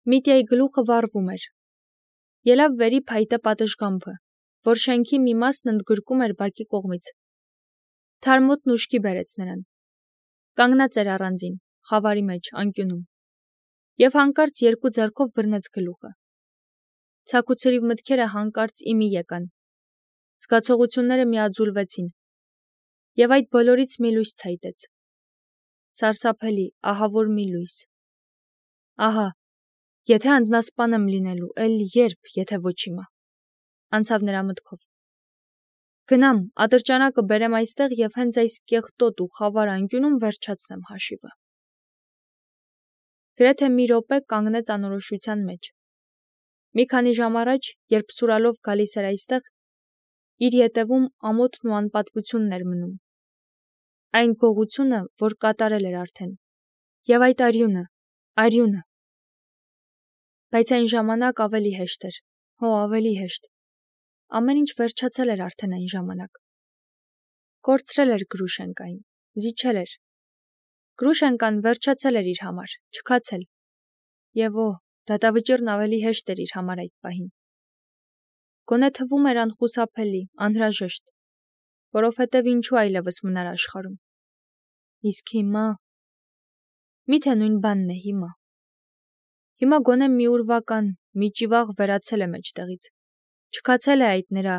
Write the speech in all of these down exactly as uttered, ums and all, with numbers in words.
Միտյայի գլուխը վառվում էր։ Ելավ վերի փայտե պատշգամբը, որ շենքի մի մասն ընդգրկում էր բակի կողմից։ Թարմոտն ուշքի բերեց նրան։ Կանգնած էր առանձին, խավարի մեջ, անկյունում, և հանկարծ երկու ձեռքով բռնեց գլուխը։ Ցաքուցրիվ մտքերը հանկարծ իմի եկան։ Զգացողությունները միաձուլվեցին, և այդ բոլորից մի լույս ցայտեց։ Սարսափելի, ահավոր մի լույս։ Ահա, եթե անձնասպան եմ լինելու, էլ երբ, եթե ոչ հիմա, անցավ նրա մտքով։ Գնամ, ատրճանակը բերեմ այստեղ և հենց այս կեղտոտ ու խավար անկյունում վերջացնեմ հաշիվը։ Գրեթե մի րոպե կանգնեց անորոշության մեջ։ Մի քանի ժամ առաջ, երբ սուրալով գալիս էր այստեղ, իր ետևում ամոթն ու անպատվությունն էր մնում։ Այն գողությունը, որ կատարել էր արդեն, և այդ արյունը, արյունը։ Բայց այն ժամանակ ավելի հեշտ էր, հո ավելի հեշտ։ Ամեն ինչ վերջացել էր արդեն այն ժամանակ։ Կորցրել էր Գրուշենկային, զիջել էր։ Գրուշենկան վերջացել էր իր համար, չքացել։ Եվ օ, դատավճիռն ավելի հեշտ էր իր համար այդ պահին։ Գոնե թվում էր անխուսափելի, անհրաժեշտ, որովհետև ինչու այլևս մնար աշխարհում։ Իսկ հիմա… Միթե նույն բանն է հիմա։ Հիմա գոնե մի ուրվական, մի ճիվաղ վերացել է մեջտեղից։ Չքացել է այդ նրա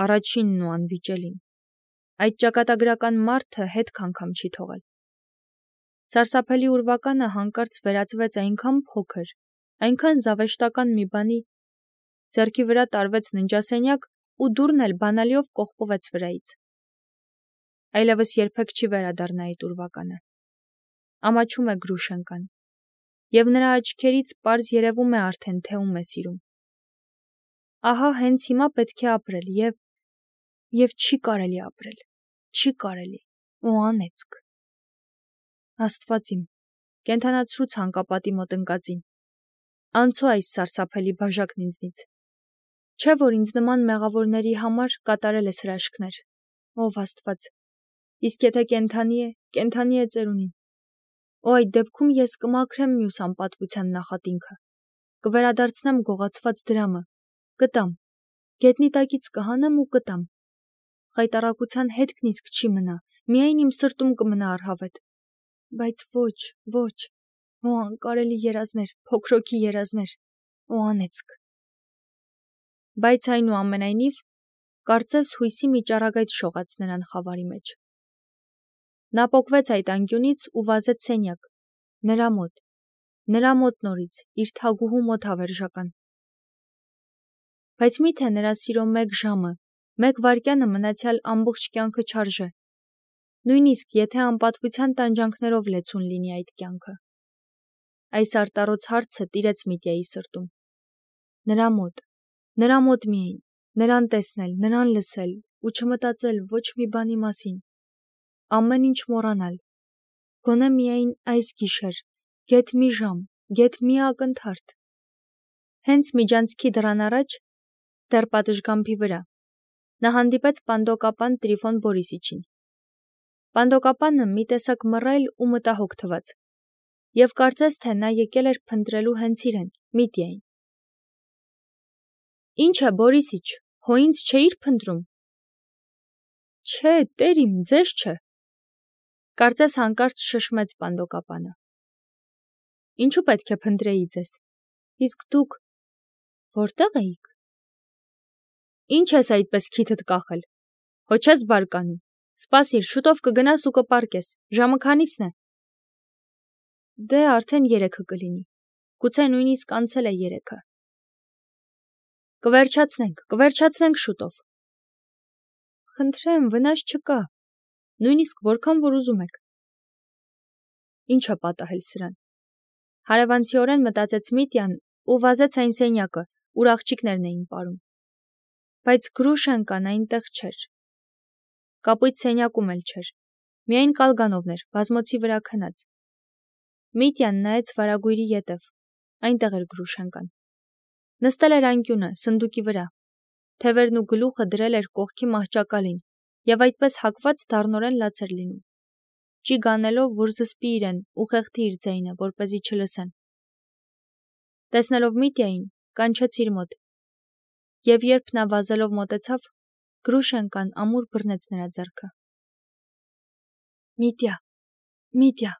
առաջինն ու անվիճելին։ Այդ ճակատագրական մարդը հետք անգամ չի թողել։ Սարսափելի ուրվականը հանկարծ վերածվեց այնքան փոքր, այնքան զավեշտական մի բանի, ձեռքի վրա տարվեց ննջասենյակ ու դուռն էլ բանալիով կողպվեց վրայից։ Այլևս երբեք չի վերադառնա այդ ուրվականը։ Ամաչում է Գրուշենկան, և նրա աչքերից պարզ երևում է արդեն, թե ում է սիրում։ Ահա հենց հիմա պետք է ապրել, և… և չի կարելի ապրել, չի կարելի, ու անեծք։ Աստված իմ, կենդանացրու ցանկապատի մոտ ընկածին։ Անցո այս սարսափելի բաժակն ինձնից։ Չէ՞ որ ինձ նման մեղավորների համար կատարել ես հրաշքներ, ով Աստված, իսկ եթե կենդանի է, կենդանի է ծերունին։ Օ, այդ դեպքում ես կմաքրեմ մյուս անպատվության նախատինքը, կվերադարձնեմ գողացված դրամը, կտամ, գետնի տակից կհանեմ ու կտամ։ Խայտառակության հետքն իսկ չի մնա, միայն իմ սրտում կմնա առհավետ։ Բայց ոչ, ոչ, օ անկարելի երազներ, փոքրոքի երազներ, օ անեծք։ Բայց այնուամենայնիվ, կարծես հույսի մի ճառագայթ շողաց նրան խավարի մեջ։ Նա պոկվեց այդ անկյունից ու վազեց սենյակ, նրա մոտ, նրա մոտ նորից, իր թագուհու մոտ հավերժական։ Բայց միթե նրա սիրո մեկ ժամը, մեկ վայրկյանը մնացյալ ամբողջ կյանքը չարժե, նույնիսկ եթե անպատվության տանջանքներով լեցուն լինի այդ կյանքը։ Այս արտառոց հարցը տիրեց Միտյայի սրտում։ Նրա մոտ, նրա մոտ միայն, նրան տեսնել, նրան լսել ու չմտածել ոչ մի բանի մասին, ամեն ինչ մոռանալ, գոնե միայն այս գիշեր, գեթ մի ժամ, գեթ մի ակնթարթ։ Հենց միջանցքի դռան առաջ, դեռ պատշգամբի վրա, նա հանդիպեց պանդոկապան Տրիֆոն Բորիսիչին։ Պանդոկապանը մի տեսակ մռայլ ու մտահոգ թվաց, և կարծես թե նա եկել էր փնտրելու հենց իրեն, Միտյային։ Ինչ է, Բորիսիչ, հո ինձ չէիր փնտրում։ Չէ, տեր իմ, ձեզ չէ, կարծես հանկարծ շշմեց պանդոկապանը։ Ինչու պետք է փնտրեի ձեզ։ Իսկ դուք որտե՞ղ էիք։ Ինչ ես այդպես քիթդ կախել, հո չես բարկանում, սպասիր, շուտով կգնաս ու կպառկես, ժամը քանի՞սն է։ Դե արդեն երեքը կլինի, գուցե նույնիսկ անցել է երեքը։ Կվերջացնենք, կվերջացնենք շուտով։ Խնդրեմ, վնաս չկա, նույնիսկ որքան որ ուզում եք։ Ինչ է պատահել սրան։ Հարևանցիորեն մտածեց Միտյան ու վազեց այն սենյակը, ուր աղջիկներն էին պարում։ Բայց Գրուշենկան այնտեղ չէր։ Կապույտ սենյակում էլ չէր, միայն կալգանովն էր, բազմոցի վրա քնած։ Միտյան նայեց վարագույրի ետև, այնտեղ էր Գրուշենկան։ Նստել էր անկյունը, սնդուկի վրա, թևերն ու գլուխը դրել էր կողքի մահճակալին և այդպես հագված դառնորեն լաց էր լինում, ճիգ անելով, որ զսպի իրեն ու խեղդի իր ձայնը, որպեսզի չլսեն։ Տեսնելով Միտիային, կանչեց իր մոտ, և երբ նա վազելով մոտեցավ, Գրուշենկան ամուր բռնեց նրա ձեռքը։ Միտիա, Միտիա,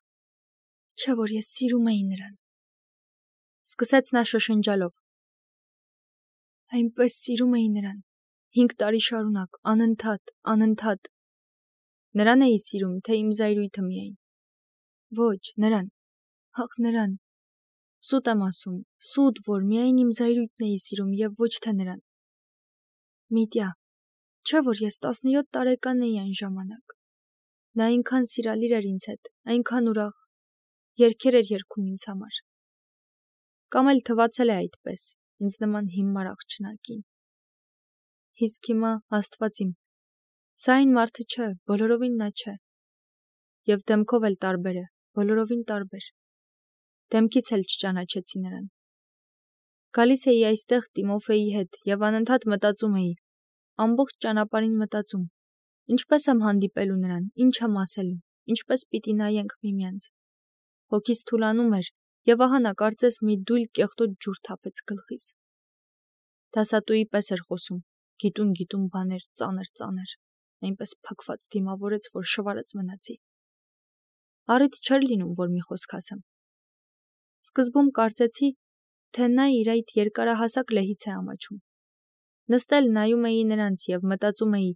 չէ որ ես սիրում էի նրան, սկսեց նա շշնջալով։ Այնպես սիրում էի նրան, հինգ տարի շարունակ, անընդհատ, անընդհատ։ Նրան էի սիրում, թե իմ զայրույթը միայն։ Ոչ, նրան, ախ նրան, սուտ եմ ասում, սուտ, որ միայն իմ զայրույթն էի սիրում և ոչ թե նրան։ Միտիա, չէ որ ես տասնյոթ տարեկան էի այն ժամանակ։ Նա այնքան սիրալիր էր ինձ հետ, այնքան ուրախ, երգեր էր երգում ինձ համար։ Կամ էլ թվացել է այդպես, ինձ նման հիմար աղջնակին։ Իսկ հիմա, Աստված իմ, սա այն մարդը չէ, բոլորովին նա չէ։ Եվ դեմքով էլ տարբեր է, բոլորովին տարբեր։ Դեմքից էլ չճանաչեցի նրան։ Գալիս էի այստեղ Տիմոֆեի հետ և անընդհատ մտածում էի, ամբողջ ճանապարհին մտածում, ինչպես եմ հանդիպելու նրան, ինչ եմ ասելու, ինչպես պիտի նայենք միմյանց։ Հոգիս թուլանում էր, և ահա նա կարծես մի դույլ կեղտոտ ջուր թափեց գլխիս։ Դասատուի պես էր խոսում, գիտուն-գիտուն բաներ, ծանր-ծանր, այնպես փակված դիմավորեց, որ շվարած մնացի։ Առիթ չէր լինում, որ մի խոսք ասեմ։ Սկզբում կարծեցի, թե նա իր այդ երկարահասակ լեհից է ամաչում։ Նստել նայում էի նրանց և մտածում էի,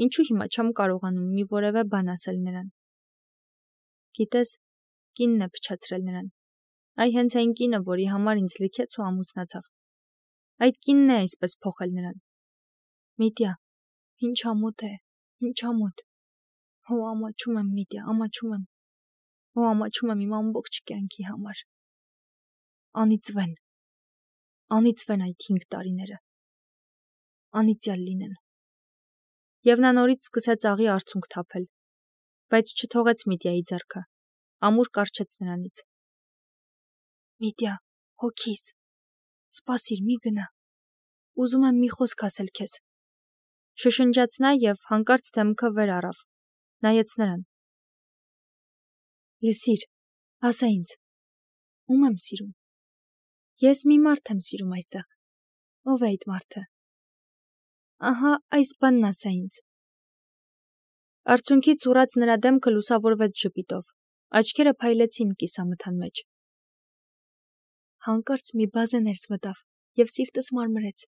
ինչու հիմա չեմ կարողանում մի որևէ բան ասել նրան։ Գիտես, կինն է փչացրել նրան։ Այ հենց այն կինը, որի համար ինձ լքեց ու ամուսնացավ։ Այդ կինն է այսպես փոխել նրան։ Միտիա, ինչ ամոթ է, ինչ ամոթ։ Հո ամաչում եմ, Միտիա, ամաչում եմ։ Հո ամաչում եմ իմ ամբողջ կյանքի համար։ Անիծվեն։ Անիծվեն այդ հինգ տարիները։ Անիծյալ լինեն։ Եվ նա նորից սկսեց աղի արցունք թափել, բայց չթողեց Միտիայի ձեռքը, ամուր կառչեց նրանից։ Միտիա, հոգիս, սպասիր, մի գնա, ուզում եմ մի խոսք ասել քեզ։ Շշնջաց նա և հանկարծ դեմքը վեր առավ, նայեց նրան։ Լսիր, ասա ինձ, ում եմ սիրում։ Ես մի մարդ եմ սիրում այստեղ։ Ո՞վ է այդ մարդը։ Ահա այս բանն ասա ինձ։ Արցունքից ուռած նրա դեմքը լուսավորվեց ժպիտով, աչքերը փայլեցին կիսամթան մեջ։ Հանկարծ մի բազե ներս մտավ և սիրտս մարմրեց։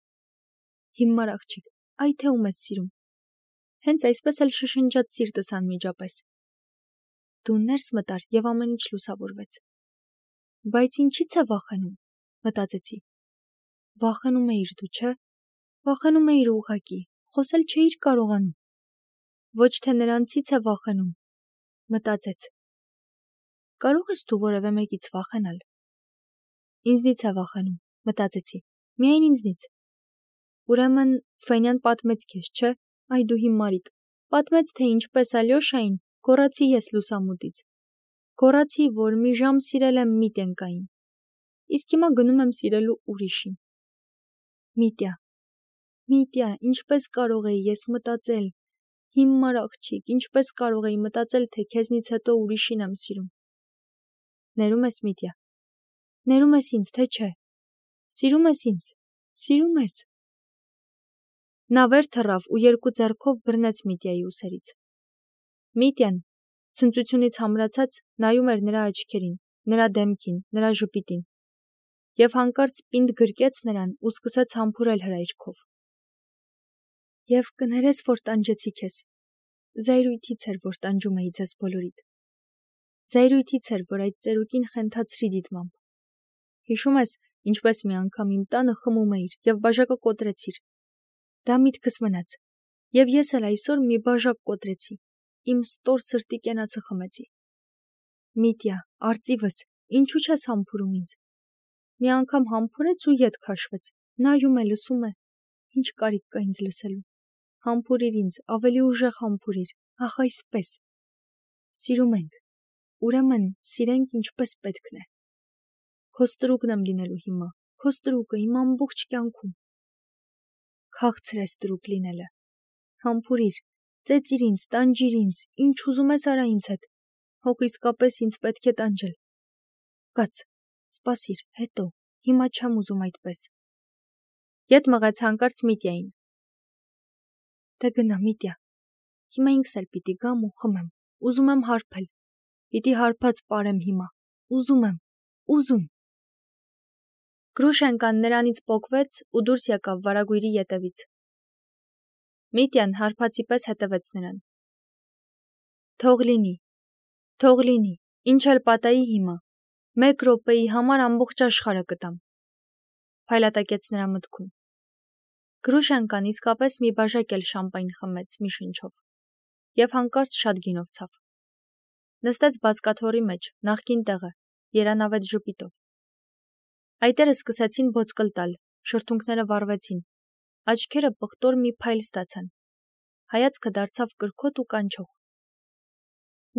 Հիմար աղջիկ, այ թե ում ես սիրում։ Հենց այսպես էլ շշնջաց սիրտս անմիջապես։ Դու ներս մտար և ամեն ինչ լուսավորվեց։ Բայց ինչի՞ց է վախենում, մտածեցի։ Վախենում էիր դու, չէ՞։ Վախենում էիր ուղղակի, խոսել չէիր կարողանում։ Ոչ թե նրանցից է վախենում, մտածեց։ Կարող ես դու որևէ մեկից վախենալ։ Ինձնից է վախենում, մտածեցի, միայն ինձնից։ Ուրեմն Ֆենյան պատմեց քեզ, չէ՞, այ դու հիմարիկ, պատմեց, թե ինչպես Ալյոշային գոռացի ես լուսամուտից։ Գոռացի, որ մի ժամ սիրել եմ Միտենկային։ Իսկ հիմա գնում եմ սիրելու ուրիշին։ Միտիա, Միտիա, ինչպես կարող էի ես մտածել, հիմար աղջիկ, ինչպես կարող էի մտածել, թե քեզնից հետո ուրիշին եմ սիրում։ Ներում ես, Միտիա, ներում ես ինձ, թե չէ։ Սիրում ես ինձ, սիրում ես։ Նա վեր թռավ ու երկու ձեռքով բռնեց Միտիայի ուսերից։ Միտյան, ցնծությունից համրացած, նայում էր նրա աչքերին, նրա դեմքին, նրա ժպիտին, և հանկարծ պինդ գրկեց նրան ու սկսեց համբուրել հրայրքով։ Եվ կներես, որ տանջեցի քեզ։ Զայրույթից էր, որ տանջում էի ձեզ բոլորիդ։ Զայրույթից էր, որ այդ ծերուկին խենթացրի դիտմամբ։ Հիշում ես, ինչպես մի անգամ իմ տանը խմում էիր և բաժակը կոտրեցիր։ Դա միտքս մնաց, և ես էլ այսօր մի բաժակ կոտրեցի, իմ ստոր սրտի կենացը խմեցի։ Միտիա, արծիվս, ինչու չես համբուրում ինձ։ Մի անգամ համբուրեց ու ետ քաշվեց, նայում է, լսում է, ինչ կարիք կա ինձ լսելու։ Համբուրիր ինձ, ավելի ուժեղ համբուրիր, ախ այսպես։ Սիրում ենք, ուրեմն սիրենք ինչպես պետքն է։ Քո ստրուկն եմ լինելու հիմա, քո ստրուկը իմ ամբողջ կյանքում։ Քաղցր է ստրուկ լինելը։ Համբուրիր, ծեծիր ինձ, տանջիր ինձ, ինչ ուզում ես արա ինձ հետ։ Հող իսկապես ինձ պետք է տանջել։ Կաց, սպասիր, հետո, Հիմա չեմ ուզում այդպես։ Ետ մղեց հանկարծ Միտյային։ Դե գնա, Միտյա։ Հիմա ինքս էլ պիտի գամ ու խմեմ։ Ուզում եմ հարբել։ Պիտի հարբած պարեմ հիմա։ Ուզում եմ, ուզում։ Գրուշենկան նրանից պոկվեց ու դուրս եկավ վարագույրի ետևից։ Միտյան հարբածի պես հետևեց նրան։ Թող լինի, թող լինի, ինչ էլ պատահի հիմա, մեկ րոպեի համար ամբողջ աշխարհը կտամ, փայլատակեց նրա մտքում։ Գրուշենկան իսկապես մի բաժակ էլ շամպայն խմեց մի շնչով և հանկարծ շատ գինով ցավ։ Նստեց բազկաթոռի մեջ, նախկին տեղը, երանավետ ժպիտով։ Այտերը սկսեցին բոցկլ տալ, շրթունքները վառվեցին, աչքերը պղտոր մի փայլ ստացան, հայացքը դարձավ կրքոտ ու կանչող։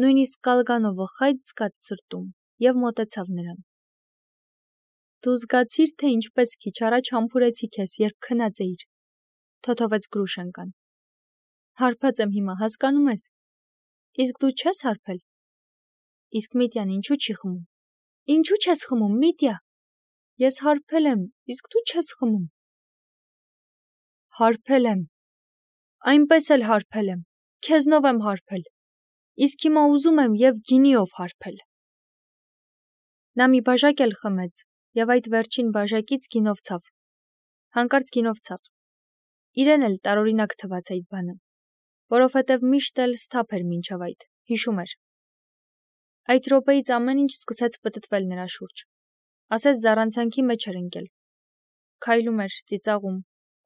Նույնիսկ Կալգանովը խայտ զգաց սրտում և մոտեցավ նրան։ Դու զգացիր, թե ինչպես քիչ առաջ համբուրեցի քեզ, երբ քնած էիր, թոթովեց Գրուշենկան։ Հարբած եմ հիմա, հասկանում ես։ Իսկ դու չես հարբել։ Իսկ Միտյան ինչու չի խմում։ Ինչու չես խմում, Միտյա։ Ես հարբել եմ, իսկ դու չես խմում։ Հարբել եմ։ Այնպես էլ հարբել եմ, քեզնով եմ հարբել։ Իսկ հիմա ուզում եմ և գինիով հարբել։ Նա մի բաժակ էլ խմեց և այդ վերջին բաժակից գինով ցավ։ Հանկարծ գինով ցավ։ Իրեն էլ տարօրինակ թվաց այդ բանը, որովհետև միշտ էլ սթափ էր մինչև այդ, հիշում էր։ Այդ րոպեից ամեն ինչ սկսեց պտտվել նրա շուրջ, ասես զառանցանքի մեջ էր ընկել։ Քայլում էր, ծիծաղում,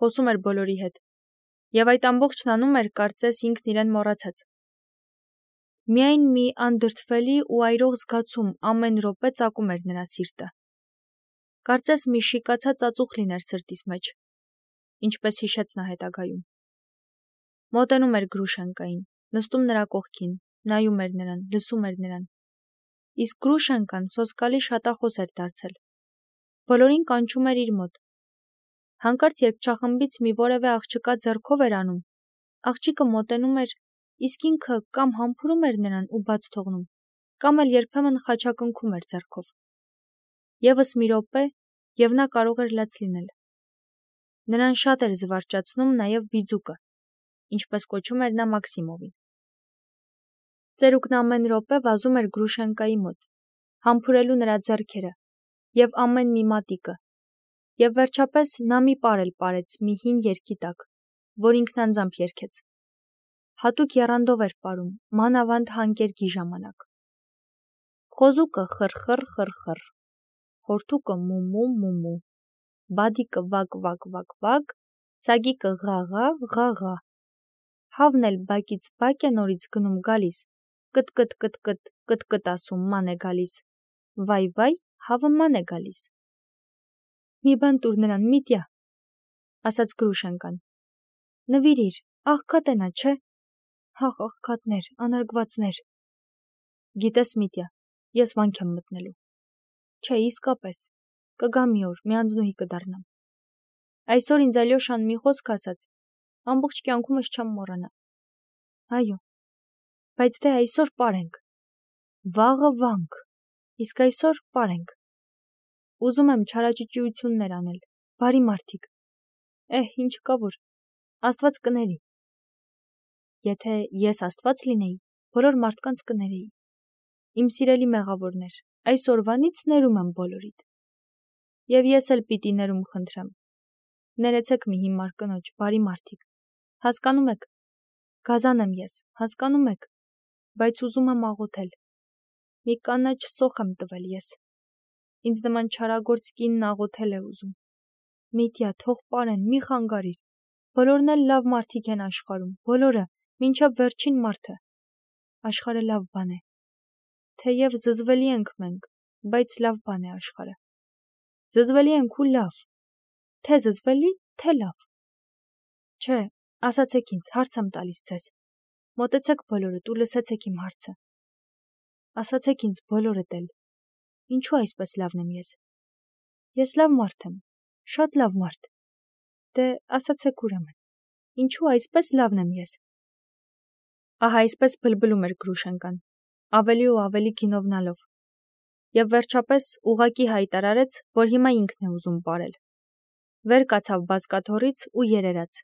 խոսում էր բոլորի հետ, և այդ ամբողջն անում էր, կարծես ինքն իրեն մոռացած։ Միայն մի անդրդվելի ու այրող զգացում ամեն րոպե ծակում էր նրա սիրտը։ Կարծես մի շիկացած ածուխ լիներ սրտիս մեջ, ինչպես հիշեց նա հետագայում։ Մոտենում էր Գրուշենկային, նստում նրա կողքին, նայում էր նրան, լսում էր նրան։ Իսկ Գրուշենկան սոսկալի շատախոս էր դարձել։ Բոլորին կանչում էր իր մոտ։ Հանկարծ երբ չախմբից մի որևէ աղջկա ձեռքով էր անում, աղջիկը մոտենում էր, իսկ ինքը կամ համբուրում էր նրան ու բաց թողնում, կամ էլ երբեմն խաչակնքում էր ձեռքով։ Եվս մի րոպե, և նա կարող էր լաց լինել։ Նրան շատ էր զվարճացնում նաև բիձուկը, ինչպես կոչում էր նա Մաքսիմովին։ Ծերուկն ամեն րոպե վազում էր Գրուշենկայի մոտ, համբուրելու նրա ձեռքերը և ամեն մի մատիկը, և վերջապես նա մի պար էլ պարեց մի հին երգի տակ, որ ինքն անձամբ երգեց։ Հատուկ եռանդով էր պարում, մանավանդ հանկերգի ժամանակ։ Խոզուկը խռ-խռ, խռ-խռ, հորթուկը մու-մու, մու-մու, բադիկը վակ-վակ, վակ-վակ, սագիկը ղա-ղա, ղա-ղա, հավն էլ բակից բակ է նորից գնում գալիս, կտ-կտ-կտ-կտ, կտ-կտ ասում ման է գալիս, վայ-վայ, հավը ման է գալիս։ Մի բան տուր նրան, Միտյա, ասաց Գրուշենկան։ Նվիրիր, աղքատ է նա, չէ։ Հաղ, աղքատներ, անարգվածներ։ Գիտես, Միտյա, ես վանք եմ մտնելու։ Չէ, իսկապես, կգա մի օր, մի անձնուհի կդառնամ։ Այսօր ինձ Ալյոշան մի խոսք ասաց, ամբողջ կյանքումս չեմ մոռանա։ Այո, բայց դե այսօր պարենք։ Վաղը վանք, իսկ այսօր պարենք։ Ուզում եմ չարաճճիություններ անել, բարի մարդիկ։ Էհ, ինչ կա որ, Աստված կների։ Եթե ես Աստված լինեի, բոլոր մարդկանց կներեի։ Իմ սիրելի մեղավորներ, այսօրվանից ներում եմ բոլորիդ։ Եվ ես էլ պիտի ներում խնդրեմ։ Ներեցեք մի հիմար կնոջ, բարի մարդիկ։ Հասկանում եք, գազան եմ ես, հասկանում եք, բայց ուզում եմ աղոթել։ Մի կանաչ սոխ եմ տվել ես։ Ինձ նման չարագործ կինն աղոթել է ուզում։ Միտյա, թող պարեն, մի խանգարիր։ Բոլորն էլ լավ մարդիկ են աշխարհում, բոլորը, մինչև վերջին մարդը։ Աշխարհը լավ բան է։ Թեև զզվելի ենք մենք, բայց լավ բան է աշխարհը։ Զզվելի ենք ու լավ։ Թե զզվելի, թե լավ։ Չէ, ասացեք ինձ, հարց եմ տալիս ձեզ։ Մոտեցեք բոլորդ ու լսեցեք իմ հարցը։ Ասացեք ինձ բոլորդ էլ։ Ինչու այսպես լավն եմ ես։ Ես լավ մարդ եմ, շատ լավ մարդ։ Դե ասացեք ուրեմն, ինչու այսպես լավն եմ ես։ Ահա այսպես բլբլում էր Գրուշենկան, ավելի ու ավելի գինովնալով։ եւ վերջապես ուղակի հայտարարեց, որ հիմա ինքն է ուզում պարել։ Վեր կացավ բազկաթոռից ու երերաց։